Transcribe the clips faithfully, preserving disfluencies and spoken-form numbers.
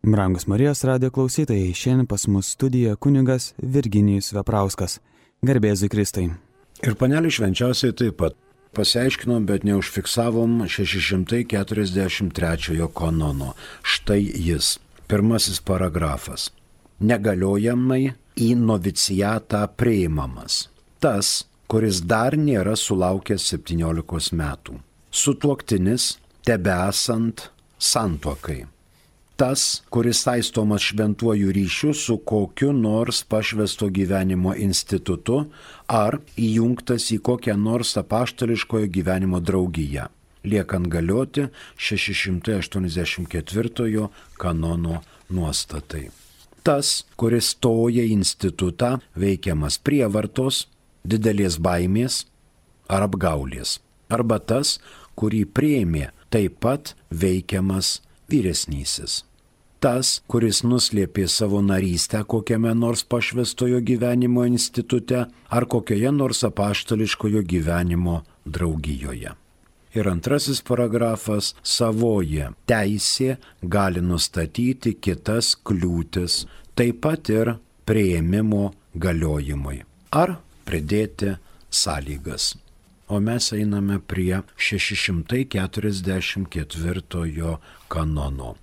Brangus Marijos radijo klausytojai, šiandien pas mus studijoje kunigas Virginijus Veprauskas. Garbėzui Kristui. Ir panelį švenčiausiai taip pat. Pasiaiškinom, bet neužfiksavom šeši šimtai keturiasdešimt trečiojo kanono. Štai jis. Pirmasis paragrafas. Negaliojamai į novicijatą priimamas. Tas, kuris dar nėra sulaukęs septyniolikos metų. Sutuoktinis, tebesant santuokai. Tas, kuris saistomas šventuoju ryšiu su kokiu nors pašvęsto gyvenimo institutu ar įjungtas į kokią nors apaštališkojo gyvenimo draugiją, liekant galioti šeši šimtai aštuoniasdešimt ketvirtojo kanono nuostatai. Tas, kuris stoja į institutą veikiamas prievartos, didelės baimės ar apgaulės, arba tas, kurį priėmė taip pat veikiamas vyresnysis. Tas, kuris nuslėpė savo narystę kokiame nors pašvęstojo gyvenimo institute ar kokioje nors apaštališkojo gyvenimo draugijoje. Ir antrasis paragrafas – savoji teisė gali nustatyti kitas kliūtis, taip pat ir priėmimo galiojimui, ar pridėti sąlygas. O mes einame prie šeši šimtai keturiasdešimt ketvirtojo kanono.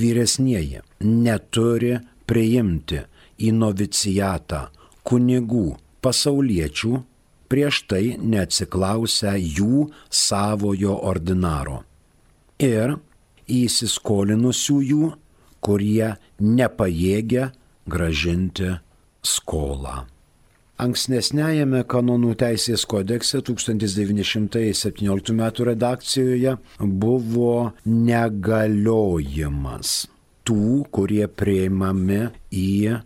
Vyresnieji neturi priimti į novicijatą kunigų pasauliečių, prieš tai neatsiklausę jų savojo ordinaro ir įsiskolinusiųjų, kurie nepajėgia gražinti skolą. Ankstesniajame kanonų teisės kodekse tūkstantis devyni šimtai septynioliktų metų redakcijoje buvo negaliojimas tų, kurie priimami į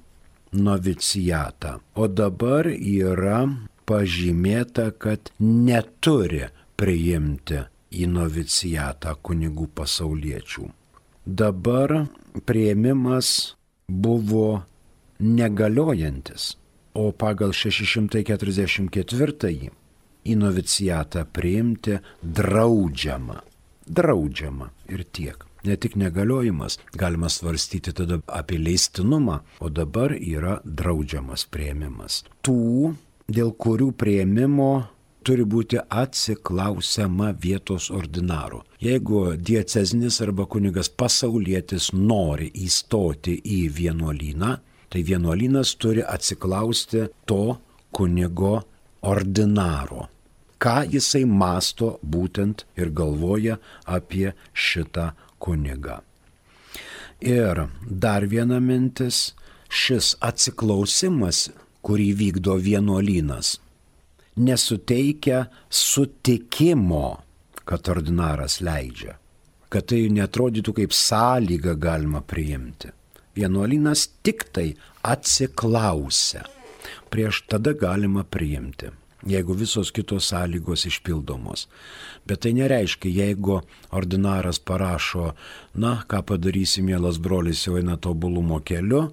novicijatą. O dabar yra pažymėta, kad neturi priimti į novicijatą kunigų pasauliečių. Dabar priėmimas buvo negaliojantis. O pagal šeši šimtai keturiasdešimt ketvirtąjį į novicijatą priimti draudžiama. Draudžiama ir tiek. Ne tik negaliojimas, galima svarstyti tada apie leistinumą, o dabar yra draudžiamas priėmimas. Tų, dėl kurių priėmimo turi būti atsiklausiama vietos ordinaro. Jeigu diecezinis arba kunigas pasaulietis nori įstoti į vienuolyną, tai vienuolynas turi atsiklausti to kunigo ordinaro, ką jisai masto būtent ir galvoja apie šitą kunigą. Ir dar viena mintis, šis atsiklausimas, kurį vykdo vienuolynas, nesuteikia sutikimo, kad ordinaras leidžia, kad tai neatrodytų kaip sąlyga galima priimti. Vienuolynas tik tai atsiklausia. Prieš tada galima priimti, jeigu visos kitos sąlygos išpildomos. Bet tai nereiškia, jeigu ordinaras parašo, na, ką padarysi, mielas brolis, jau eina tobulumo keliu,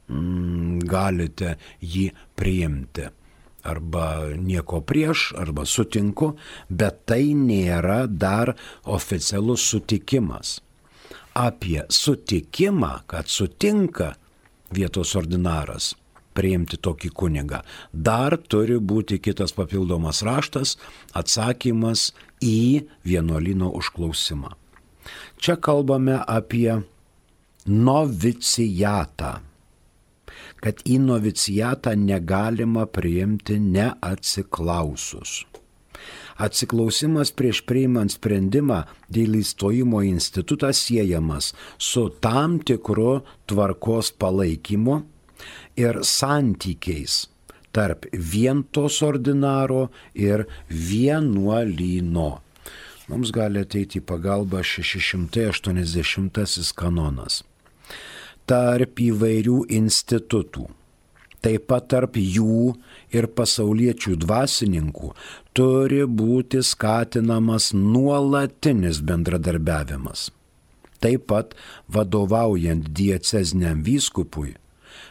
mm, galite jį priimti. Arba nieko prieš, arba sutinku, bet tai nėra dar oficialus sutikimas. Apie sutikimą, kad sutinka vietos ordinaras priimti tokį kunigą, dar turi būti kitas papildomas raštas, atsakymas į vienuolyno užklausimą. Čia kalbame apie novicijatą, kad į novicijatą negalima priimti neatsiklausus. Atsiklausimas prieš priimant sprendimą dėl įstojimo į institutą siejamas su tam tikru tvarkos palaikymu ir santykiais tarp vientos ordinaro ir vienuolyno. Mums gali ateiti į pagalbą šeši šimtai aštuoniasdešimtasis kanonas. Tarp įvairių institutų, taip pat tarp jų ir pasauliečių dvasininkų, turi būti skatinamas nuolatinis bendradarbiavimas. Taip pat vadovaujant dieceziniam vyskupui,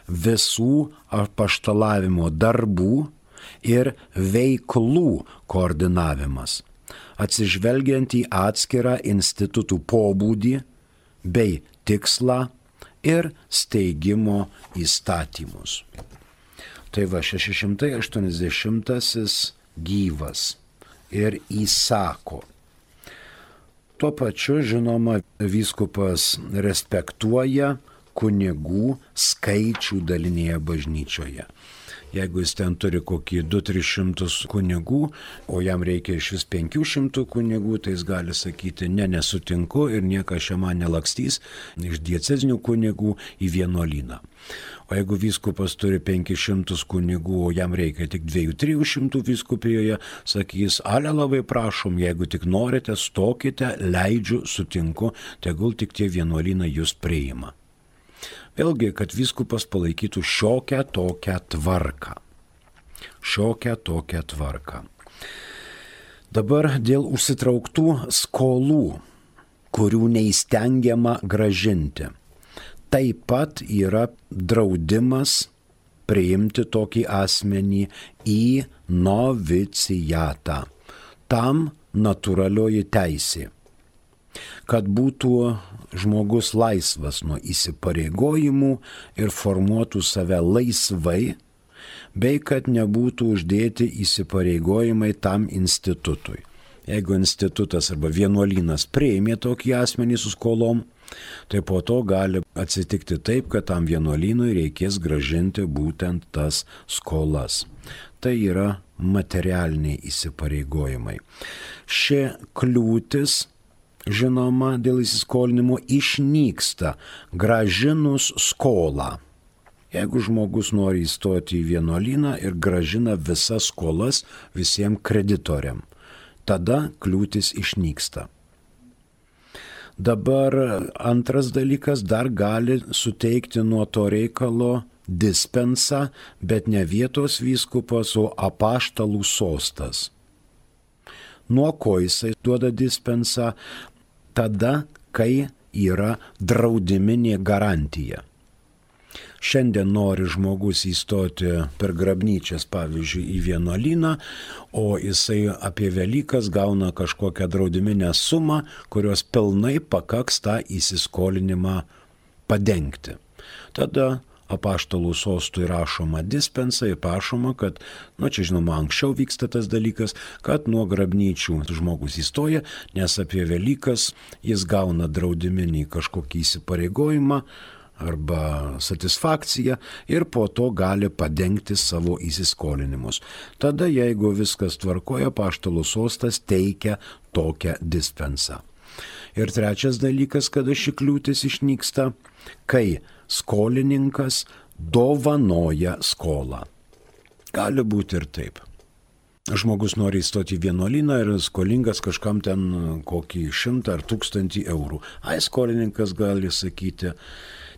visų apaštalavimo darbų ir veiklų koordinavimas, atsižvelgiant į atskirą institutų pobūdį bei tikslą ir steigimo įstatymus. Tai va šeši šimtai aštuoniasdešimtasis gyvas ir įsako. Tuo pačiu, žinoma, vyskupas respektuoja kunigų skaičių dalinėje bažnyčioje. Jeigu jis ten turi kokį du tris šimtus kunigų, o jam reikia iš vis penkių šimtų kunigų, tai jis gali sakyti, ne, nesutinku ir niekas čia man nelakstys iš diecezinių kunigų į vienuolyną. O jeigu vyskupas turi penkis šimtus kunigų, o jam reikia tik dviejų trijų šimtų vyskupijoje, sakys, ale labai prašom, jeigu tik norite, stokite, leidžiu, sutinku, tegul tik tie vienuolynai jūs priima. Vėlgi, kad vyskupas palaikytų šiokią tokią tvarką. Šiokią tokią tvarką. Dabar dėl užsitrauktų skolų, kurių neįstengiama gražinti. Taip pat yra draudimas priimti tokį asmenį į novicijatą. Tam natūralioji teisė. Kad būtų žmogus laisvas nuo įsipareigojimų ir formuotų save laisvai, bei kad nebūtų uždėti įsipareigojimai tam institutui. Jeigu institutas arba vienuolynas priėmė tokį asmenį su skolom, tai po to gali atsitikti taip, kad tam vienuolynui reikės gražinti būtent tas skolas. Tai yra materialiniai įsipareigojimai. Ši kliūtis, žinoma, dėl įsiskolinimo išnyksta gražinus skolą. Jeigu žmogus nori įstoti į vienuolyną ir gražina visas skolas visiems kreditoriam, tada kliūtis išnyksta. Dabar antras dalykas, dar gali suteikti nuo to reikalo dispensą, bet ne vietos vyskupas, o apaštalų sostas. Nuo ko jisai duoda dispensą? Tada, kai yra draudiminė garantija. Šiandien nori žmogus įstoti per grabnyčias, pavyzdžiui, į vienuolyną, o jisai apie Velykas gauna kažkokią draudiminę sumą, kurios pilnai pakaks tą įsiskolinimą padengti. Tada apaštalų sostui rašoma dispensa ir prašoma, kad, nu čia žinoma, anksčiau vyksta tas dalykas, kad nuo grabnyčių žmogus įstoja, nes apie Velykas jis gauna draudiminį kažkokį įsipareigojimą arba satisfakciją ir po to gali padengti savo įsiskolinimus. Tada, jeigu viskas tvarkoja, apaštalų sostas teikia tokią dispensą. Ir trečias dalykas, kada ši kliūtis išnyksta, kai skolininkas dovanoja skolą. Gali būti ir taip. Žmogus nori įstoti į vienuolyną ir skolingas kažkam ten kokį šimtą ar tūkstantį eurų. Ai, skolininkas gali sakyti,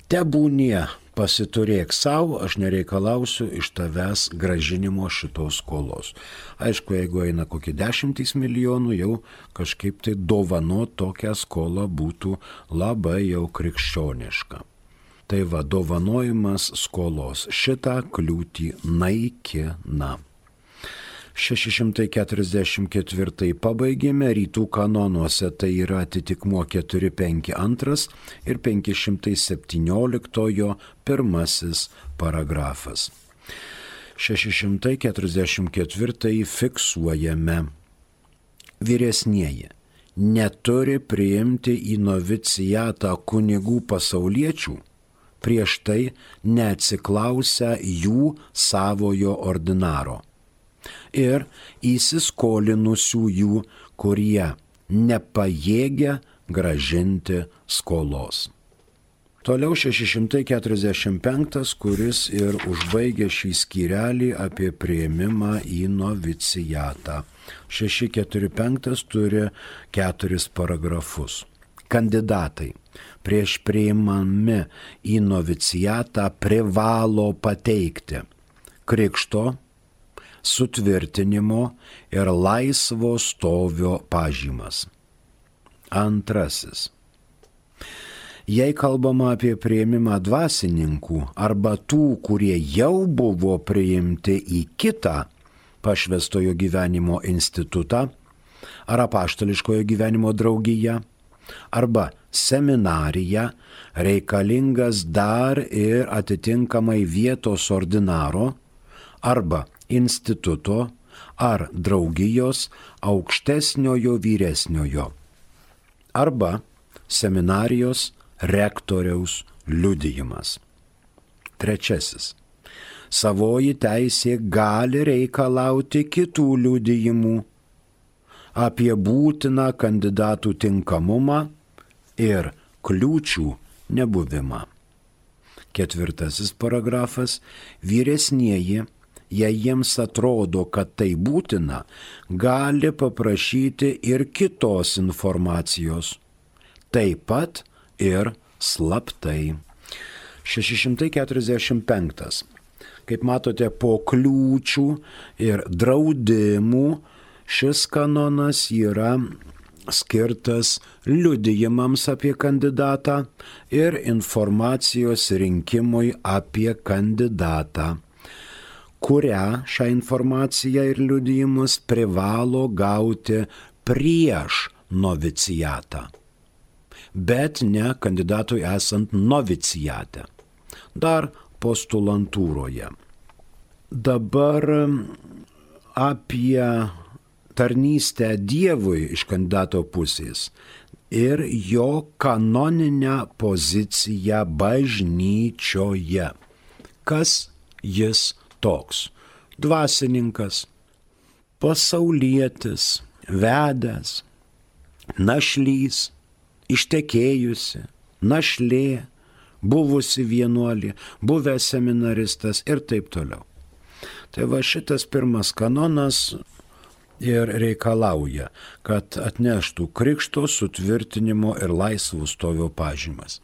tebūnie, pasiturėk savo, aš nereikalausiu iš tavęs gražinimo šitos skolos. Aišku, jeigu eina kokie dešimtys milijonų, jau kažkaip tai dovanot tokią skolą būtų labai jau krikščioniška. Tai va, dovanojimas skolos šitą kliūtį naikina. šeši šimtai keturiasdešimt ketvirtąjį pabaigėme, rytų kanonuose tai yra atitikmuo keturi penki antras ir penki šimtai septynioliktojo pirmasis paragrafas. šeši šimtai keturiasdešimt ketvirtąjį fiksuojame. Vyresnieji neturi priimti į novicijatą kunigų pasauliečių, prieš tai neatsiklausę jų savojo ordinaro ir įsiskolinusiųjų, kurie nepajėgia gražinti skolos. Toliau šeši šimtai keturiasdešimt penktas, kuris ir užbaigia šį skyrelį apie priėmimą į novicijatą. šeši keturi penktas turi keturis paragrafus. Kandidatai prieš priimami į novicijatą privalo pateikti krikšto, sutvirtinimo ir laisvo stovio pažymas. Antrasis. Jei kalbama apie priėmimą dvasininkų arba tų, kurie jau buvo priimti į kitą pašvęstojo gyvenimo institutą ar apaštališkojo gyvenimo draugiją, arba seminarija, reikalingas dar ir atitinkamai vietos ordinaro, arba instituto ar draugijos aukštesniojo vyresniojo, arba seminarijos rektoriaus liudijimas. Trečiasis. Savoji teisė gali reikalauti kitų liudijimų apie būtiną kandidatų tinkamumą ir kliūčių nebuvimą. Ketvirtasis paragrafas. Vyresnieji, jei jiems atrodo, kad tai būtina, gali paprašyti ir kitos informacijos, taip pat ir slaptai. šeši šimtai keturiasdešimt penktas. Kaip matote, po kliūčių ir draudimų šis kanonas yra skirtas liudijimams apie kandidatą ir informacijos rinkimui apie kandidatą, kurią šią informaciją ir liudijimus privalo gauti prieš novicijatą, bet ne kandidatui esant novicijate, dar postulantūroje. Dabar apie tarnystę Dievui iš kandidato pusės ir jo kanoninę poziciją bažnyčioje. Kas jis toks? Dvasininkas, pasaulietis, vedęs, našlys, ištekėjusi, našlė, buvusi vienuolė, buvęs seminaristas ir taip toliau. Tai va šitas pirmas kanonas ir reikalauja, kad atneštų krikšto, sutvirtinimo ir laisvų stovio pažymas.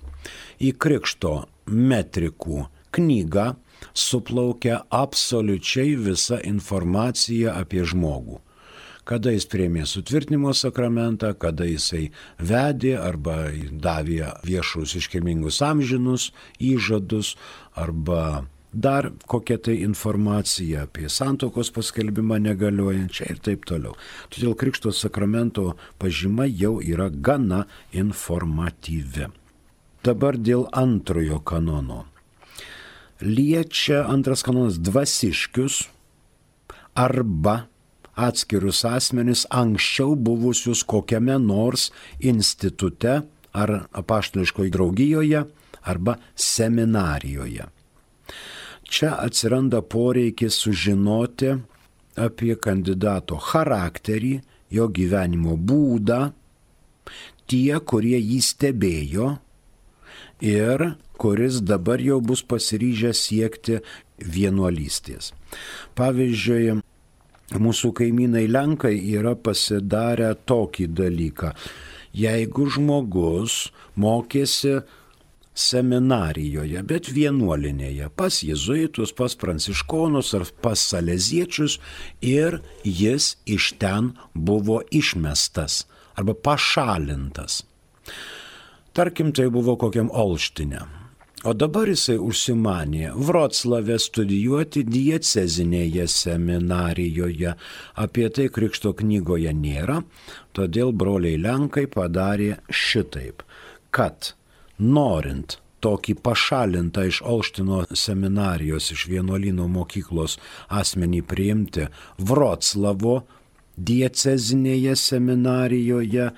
Į krikšto metrikų knygą suplaukia absoliučiai visa informacija apie žmogų. Kada jis priėmė sutvirtinimo sakramentą, kada jisai vedė arba davė viešus iškilmingus amžinus įžadus, arba dar kokia tai informacija apie santuokos paskelbimą negaliojančią ir taip toliau. Todėl krikšto sakramento pažyma jau yra gana informatyvi. Dabar dėl antrojo kanono. Liečia antras kanonas dvasiškius arba atskirus asmenis anksčiau buvusius kokiame nors institute ar apaštališkoje draugijoje arba seminarijoje. Čia atsiranda poreikis sužinoti apie kandidato charakterį, jo gyvenimo būdą, tie, kurie jį stebėjo ir kuris dabar jau bus pasiryžęs siekti vienuolystės. Pavyzdžiui, mūsų kaimynai Lenkai yra pasidarę tokį dalyką. Jeigu žmogus mokėsi seminarijoje, bet vienuolinėje, pas jėzuitus, pas pranciškonus ar pas saleziečius ir jis iš ten buvo išmestas arba pašalintas. Tarkim, tai buvo kokiam Olštine. O dabar jisai užsimanė Vroclave studijuoti diecezinėje seminarijoje. Apie tai krikšto knygoje nėra, todėl broliai Lenkai padarė šitaip, kad norint tokį pašalintą iš Olštino seminarijos, iš vienuolyno mokyklos asmenį priimti Vroclavo diecezinėje seminarijoje,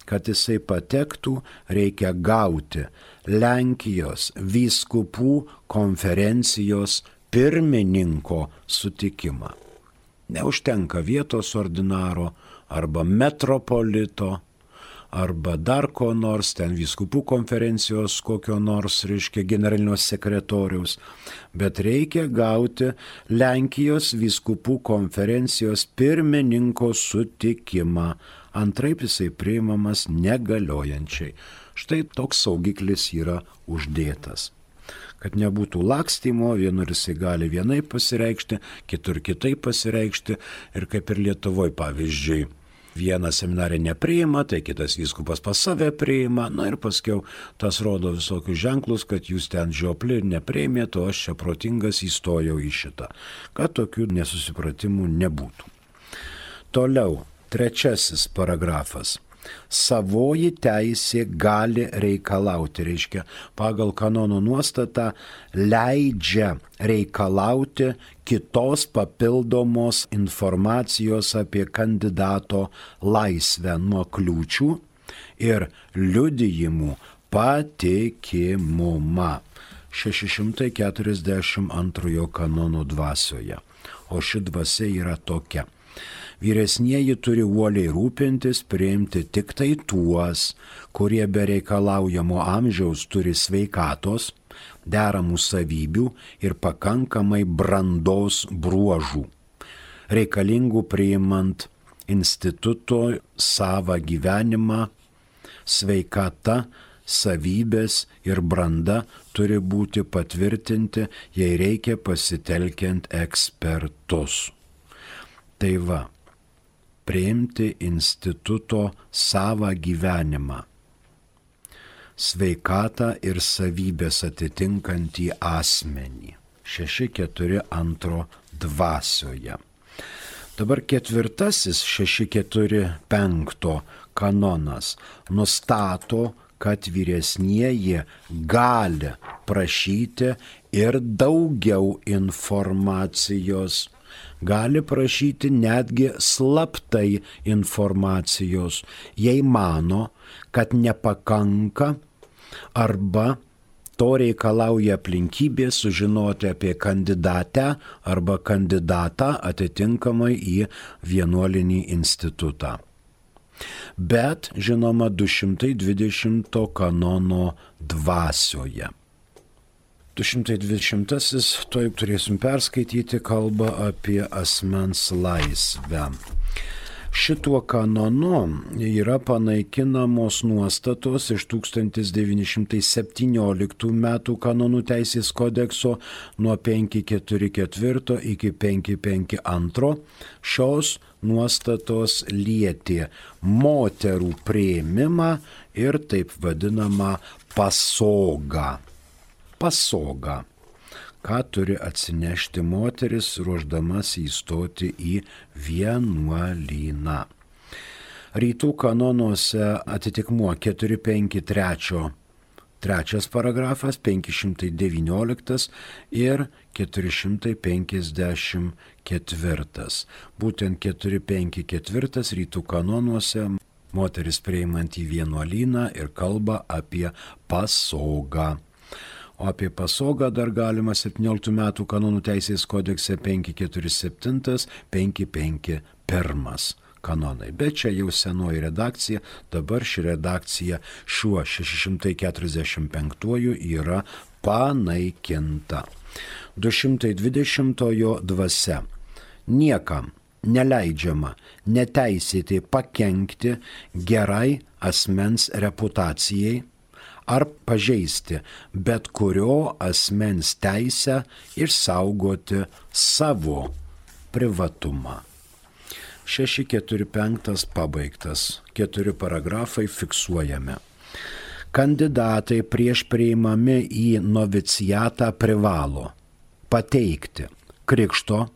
kad jisai patektų, reikia gauti Lenkijos vyskupų konferencijos pirmininko sutikimą. Neužtenka vietos ordinaro arba metropolito arba dar ko nors, ten vyskupų konferencijos kokio nors, reiškia, generalinio sekretoriaus, bet reikia gauti Lenkijos vyskupų konferencijos pirmininko sutikimą. Antraip jisai priimamas negaliojančiai. Štai toks saugiklis yra uždėtas. Kad nebūtų lakstymo, vienur jisai gali vienaip pasireikšti, kitur kitaip pasireikšti ir kaip ir Lietuvoje, pavyzdžiui, vieną seminarį nepriima, tai kitas vyskupas pas save priima, na ir paskiau tas rodo visokius ženklus, kad jūs ten žiopli ir nepriimėte, o aš čia protingas įstojau į šitą, kad tokių nesusipratimų nebūtų. Toliau, trečiasis paragrafas. Savoji teisė gali reikalauti, reiškia, pagal kanono nuostatą leidžia reikalauti kitos papildomos informacijos apie kandidato laisvę nuo kliūčių ir liudijimų patikimumą. šeši šimtai keturiasdešimt antrojo kanono dvasioje. O ši dvasia yra tokia. Vyresnieji turi uoliai rūpintis, priimti tik tai tuos, kurie be reikalaujamo amžiaus turi sveikatos, deramų savybių ir pakankamai brandos bruožų, reikalingų priimant instituto savą gyvenimą. Sveikata, savybės ir branda turi būti patvirtinti, jei reikia pasitelkiant ekspertus. Tai va, priimti instituto savą gyvenimą, sveikatą ir savybės atitinkantį asmenį. šeši keturi antro dvasioje. Dabar ketvirtasis šeši keturi penkto kanonas nustato, kad vyresnieji gali prašyti ir daugiau informacijos. Gali prašyti netgi slaptai informacijos, jei mano, kad nepakanka arba to reikalauja aplinkybė sužinoti apie kandidatę arba kandidatą atitinkamai į vienuolinį institutą. Bet, žinoma, du šimtai dvidešimto kanono dvasioje. du šimtai dvidešimtasis, toj turėsim perskaityti, kalba apie asmens laisvę. Šituo kanonu yra panaikinamos nuostatos iš tūkstantis devyni šimtai septynioliktų metų kanonų teisės kodekso nuo penki keturi keturi iki penki penki du. Šios nuostatos lietė moterų priėmimą ir taip vadinamą pasogą. Pasogą. Ką turi atsinešti moteris, ruoždamas įstoti į vienuolyną. Rytų kanonuose atitikmuo keturi penki trys, trečias paragrafas, penki šimtai devynioliktas ir keturi šimtai penkiasdešimt ketvirtas. Būtent keturi penki keturi rytų kanonuose moteris priimant į vienuolyną ir kalba apie pasogą. O apie pasogą dar galima septynioliktų metų kanonų teisės kodekse penki keturi septyni, penki penki vienas kanonai. Bet čia jau senoji redakcija, dabar ši redakcija šiuo šeši šimtai keturiasdešimt penktuoju yra panaikinta. du šimtai dvidešimtojo dvasia. Niekam neleidžiama neteisėtai pakenkti gerai asmens reputacijai ar pažeisti bet kurio asmens teisę išsaugoti savo privatumą. šeši keturi penki pabaigtas, keturi paragrafai fiksuojame. Kandidatai prieš priimami į novicijatą privalo pateikti krikšto,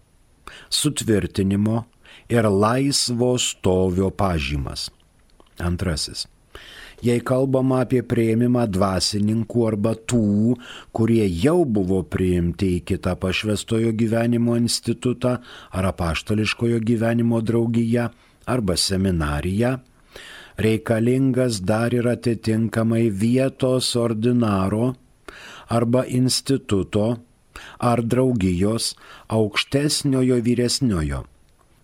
sutvirtinimo ir laisvo stovio pažymas. Antrasis. Jei kalbama apie priėmimą dvasininkų arba tų, kurie jau buvo priimti į kitą pašvęstojo gyvenimo institutą ar apaštališkojo gyvenimo draugiją arba seminariją, reikalingas dar ir atitinkamai vietos ordinaro arba instituto ar draugijos aukštesniojo vyresniojo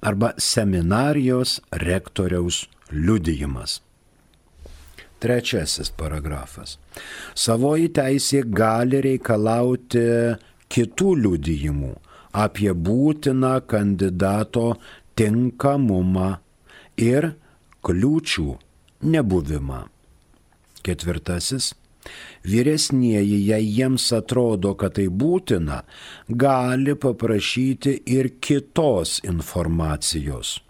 arba seminarijos rektoriaus liudijimas. Trečiasis paragrafas. Savoji teisė gali reikalauti kitų liudijimų apie būtiną kandidato tinkamumą ir kliūčių nebuvimą. Ketvirtasis. Vyresnieji, jei jiems atrodo, kad tai būtina, gali paprašyti ir kitos informacijos.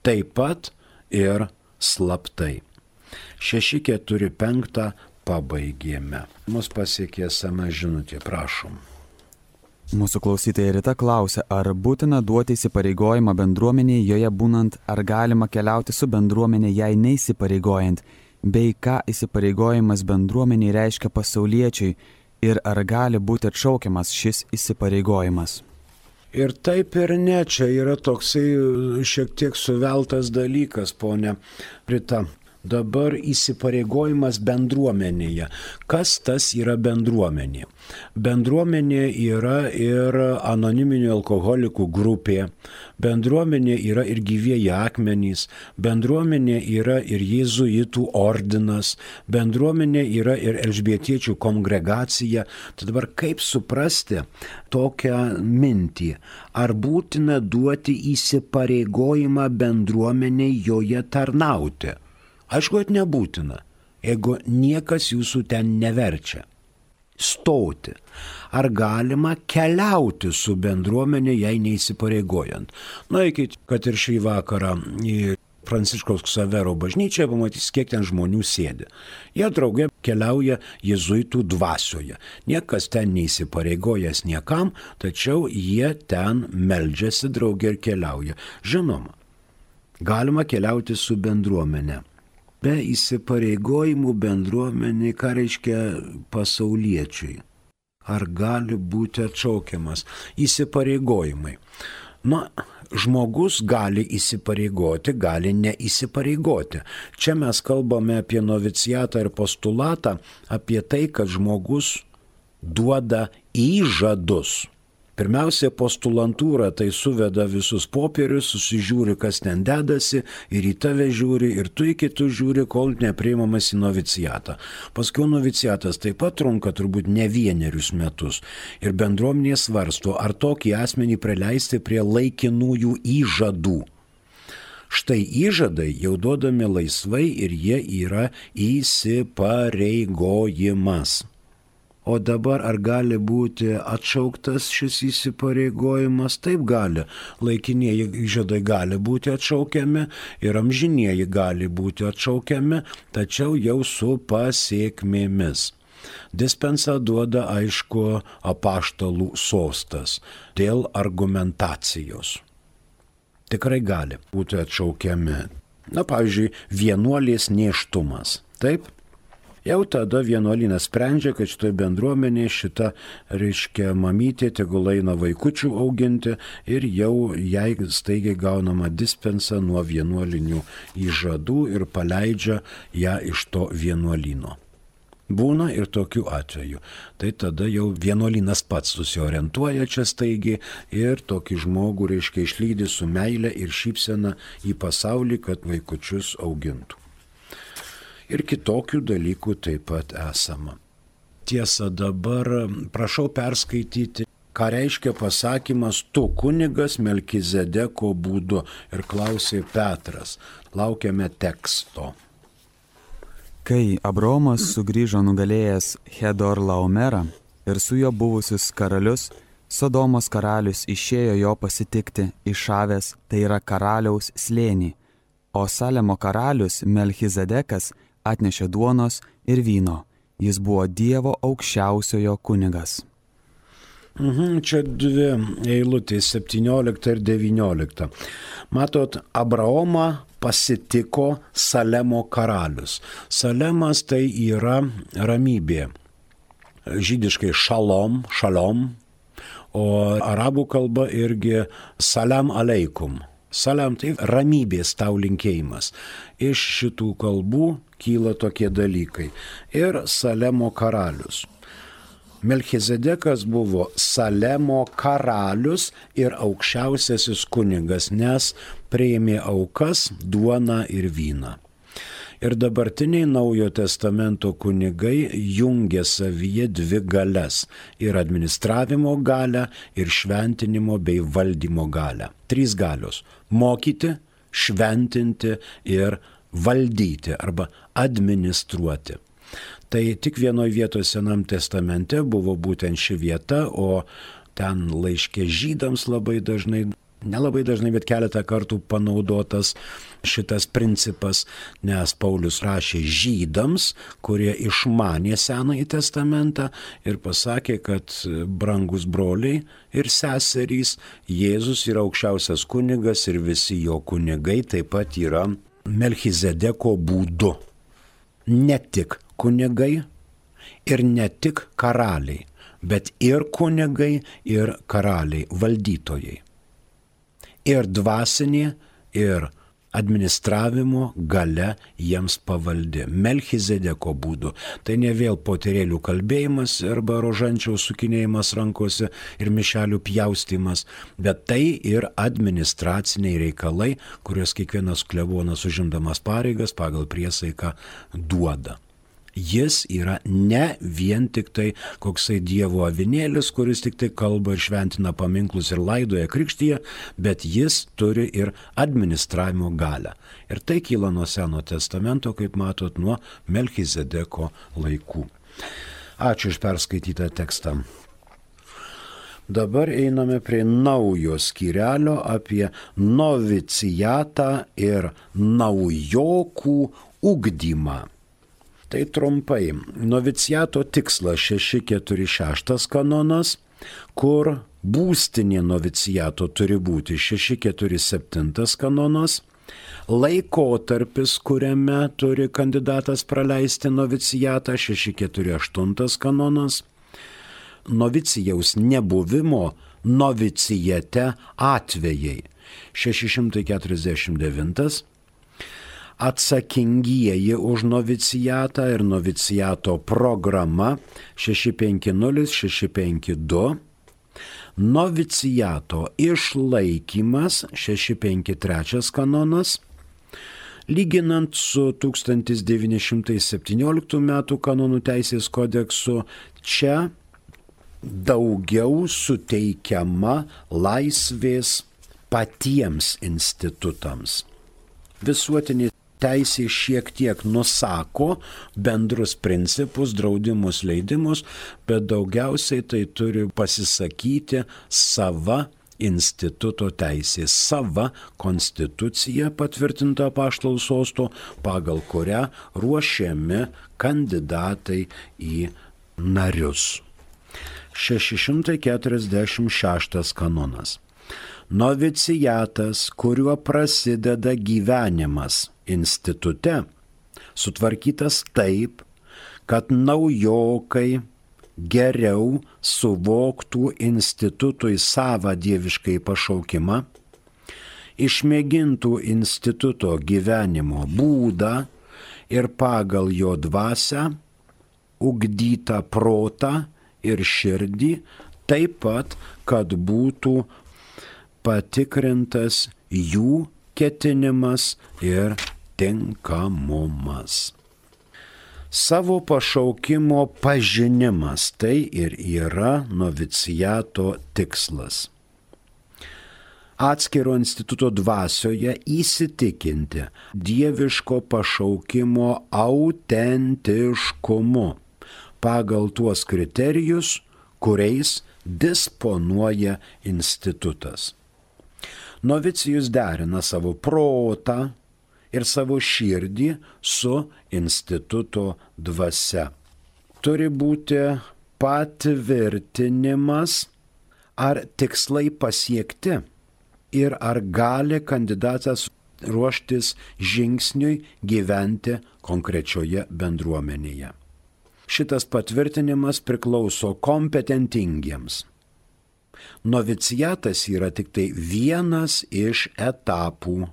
Taip pat ir slaptai. šeši keturi penki pabaigėme. Mus pasiekė esama žinutė, prašom. Mūsų klausytoja Rita klausia, ar būtina duoti įsipareigojimą bendruomenėje joje būnant, ar galima keliauti su bendruomenė jai neįsipareigojant, bei ką įsipareigojimas bendruomeniai reiškia pasauliečiui ir ar gali būti atšaukiamas šis įsipareigojimas. Ir taip ir ne, čia yra toksai šiek tiek suveltas dalykas, ponia Rita. Dabar įsipareigojimas bendruomenėje. Kas tas yra bendruomenė? Bendruomenė yra ir anoniminių alkoholikų grupė, bendruomenė yra ir gyvieji akmenys, bendruomenė yra ir jėzuitų ordinas, bendruomenė yra ir elžbietiečių kongregacija. Tai dabar kaip suprasti tokią mintį? Ar būtina duoti įsipareigojimą bendruomeniai joje tarnauti? Aišku, kad nebūtina, jeigu niekas jūsų ten neverčia. Stoti. Ar galima keliauti su bendruomenė, jei neįsipareigojant? Na, eikit, kad ir šį vakarą į Pranciškaus Ksavero bažnyčią, pamatys, kiek ten žmonių sėdi. Jie drauge keliauja jėzuitų dvasioje. Niekas ten neįsipareigojęs niekam, tačiau jie ten meldžiasi drauge ir keliauja. Žinoma, galima keliauti su bendruomenė. Be įsipareigojimų bendruomenė, ką reiškia pasauliečiui? Ar gali būti atšaukiamas? Įsipareigojimai. Na, žmogus gali įsipareigoti, gali neįsipareigoti. Čia mes kalbame apie novicijatą ir postulatą, apie tai, kad žmogus duoda įžadus. Pirmiausia, postulantūra tai suveda visus popierius, susižiūri, kas ten dedasi, ir į tave žiūri, ir tu į kitus žiūri, kol nepriimamas į novicijatą. Paskui novicijatas taip pat trunka turbūt ne vienerius metus. Ir bendruomenė svarsto, ar tokį asmenį praleisti prie laikinųjų įžadų. Štai įžadai jau duodami laisvai ir jie yra įsipareigojimas. O dabar ar gali būti atšauktas šis įsipareigojimas? Taip gali. Laikinieji įžadai gali būti atšaukiami ir amžinieji gali būti atšaukiami, tačiau jau su pasiekmėmis. Dispensą duoda, aišku, apaštalų sostas dėl argumentacijos. Tikrai gali būti atšaukiami. Na, pavyzdžiui, vienuolės nėštumas. Taip? Jau tada vienuolynas sprendžia, kad šitoje bendruomenėje šita, reiškia, mamytė tegul eina vaikučių auginti ir jau jai staigiai gaunama dispensa nuo vienuolinių įžadų ir paleidžia ją iš to vienuolyno. Būna ir tokių atvejų. Tai tada jau vienuolynas pats susiorientuoja čia staigiai ir tokį žmogų, reiškia, išlydi su meile ir šypsena į pasaulį, kad vaikučius augintų. Ir kitokių dalykų taip pat esama. Tiesa, dabar prašau perskaityti, ką reiškia pasakymas tu kunigas Melkizedeko būdu, ir klausė Petras. Laukiame teksto. Kai Abraomas sugrįžo nugalėjęs Hedorlaomerą ir su juo buvusius karalius, Sodomos karalius išėjo jo pasitikti išavęs, tai yra karaliaus slėnį, o Salemo karalius Melchizedekas atnešė duonos ir vyno. Jis buvo Dievo aukščiausiojo kunigas. Mhm, čia dvi eilutės, septyniolikta ir devyniolikta. Matot, Abraomą pasitiko Salemo karalius. Salemas tai yra ramybė. Žydiškai šalom, šalom, o arabų kalba irgi salam aleikum. Salam tai ramybės tau linkėjimas. Iš šitų kalbų kyla tokie dalykai. Ir Salemo karalius. Melchizedekas buvo Salemo karalius ir aukščiausiasis kunigas, nes priėmė aukas, duoną ir vyną. Ir dabartiniai Naujojo testamento kunigai jungia savyje dvi galias – ir administravimo galią, ir šventinimo bei valdymo galią. Trys galios – mokyti, šventinti ir valdyti arba administruoti. Tai tik vienoje vietoje Senam testamente buvo būtent ši vieta, o ten laiške žydams labai dažnai Nelabai dažnai, bet keletą kartų panaudotas šitas principas, nes Paulius rašė žydams, kurie išmanė Senąjį testamentą ir pasakė, kad brangus broliai ir seserys, Jėzus yra aukščiausias kunigas ir visi jo kunigai taip pat yra Melchizedeko būdu. Ne tik kunigai ir ne tik karaliai, bet ir kunigai ir karaliai, valdytojai. Ir dvasinė, ir administravimo galia jiems pavaldi. Melchizedeko būdu. Tai ne vėl poterėlių kalbėjimas arba rožančiaus sukinėjimas rankose ir mišelių pjaustymas, bet tai ir administraciniai reikalai, kuriuos kiekvienas klebonas užimdamas pareigas pagal priesaiką duoda. Jis yra ne vien tik tai koksai Dievo avinėlis, kuris tik tai kalba ir šventina paminklus ir laidoja krikštyje, bet jis turi ir administravimo galią. Ir tai kyla nuo Seno testamento, kaip matot, nuo Melchizedeko laikų. Ačiū už perskaitytą tekstą. Dabar einame prie naujo skyrelio apie novicijatą ir naujokų ugdymą. Tai trumpai. Noviciato tikslas šeši keturi šeši kanonas, kur būstinė noviciato turi būti šeši keturi septyni kanonas, laikotarpis, kuriame turi kandidatas praleisti noviciatą šeši keturi aštuoni kanonas, novicijaus nebuvimo novicijate atvejai šeši šimtai keturiasdešimt devintas, atsakingieji už novicijatą ir noviciato programa šeši penki nulis šeši penki du, noviciato išlaikymas šeši penki trečias kanonas, lyginant su tūkstantis devyni šimtai septynioliktų metų kanonų teisės kodeksu, čia daugiau suteikiama laisvės patiems institutams. Visuotinė teisė šiek tiek nusako bendrus principus, draudimus, leidimus, bet daugiausiai tai turi pasisakyti sava instituto teisė, sava konstitucija patvirtinta apaštalų sosto, pagal kurią ruošiami kandidatai į narius. šeši šimtai keturiasdešimt šeštas kanonas. Novicijatas, kuriuo prasideda gyvenimas institute, sutvarkytas taip, kad naujokai geriau suvoktų institutui savą dieviškai pašaukimą, išmėgintų instituto gyvenimo būdą ir pagal jo dvasią ugdytą protą ir širdį, taip pat, kad būtų patikrintas jų ketinimas ir tinkamumas. Savo pašaukimo pažinimas tai ir yra noviciato tikslas. Atskiro instituto dvasioje įsitikinti dieviško pašaukimo autentiškumu pagal tuos kriterijus, kuriais disponuoja institutas. Novicijus derina savo protą ir savo širdį su instituto dvasia. Turi būti patvirtinimas, ar tikslai pasiekti ir ar gali kandidatas ruoštis žingsniui gyventi konkrečioje bendruomenėje. Šitas patvirtinimas priklauso kompetentingiems. Noviciatas yra tik tai vienas iš etapų,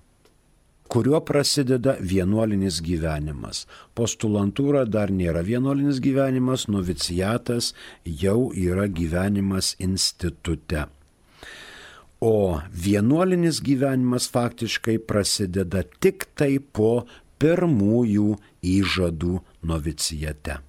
kuriuo prasideda vienuolinis gyvenimas. Postulantūra dar nėra vienuolinis gyvenimas, noviciatas jau yra gyvenimas institute. O vienuolinis gyvenimas faktiškai prasideda tik tai po pirmųjų įžadų novicijate.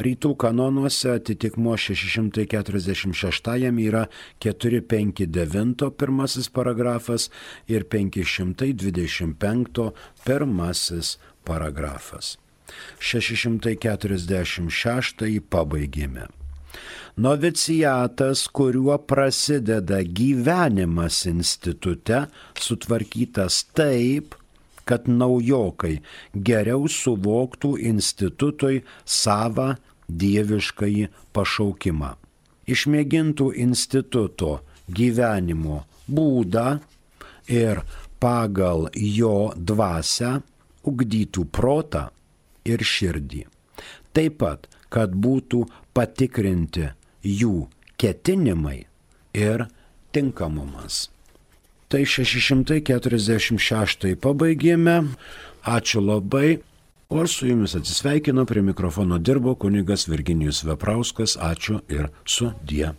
Rytų kanonuose atitikmuo šeši šimtai keturiasdešimt šeštajam yra keturi penki devyni pirmasis paragrafas ir penki šimtai dvidešimt penktas pirmasis paragrafas. šeši šimtai keturiasdešimt šeštąjį pabaigėme. Noviciatas, kuriuo prasideda gyvenimas institute, sutvarkytas taip, kad naujokai geriau suvoktų institutui savą dieviškąjį pašaukimą. Išmėgintų instituto gyvenimo būdą ir pagal jo dvasią ugdytų protą ir širdį. Taip pat, kad būtų patikrinti jų ketinimai ir tinkamumas. Tai šeši šimtai keturiasdešimt šeštąjį pabaigėme. Ačiū labai. O su jumis atsisveikino, prie mikrofono dirbo kunigas Virginijus Veprauskas. Ačiū ir sudie.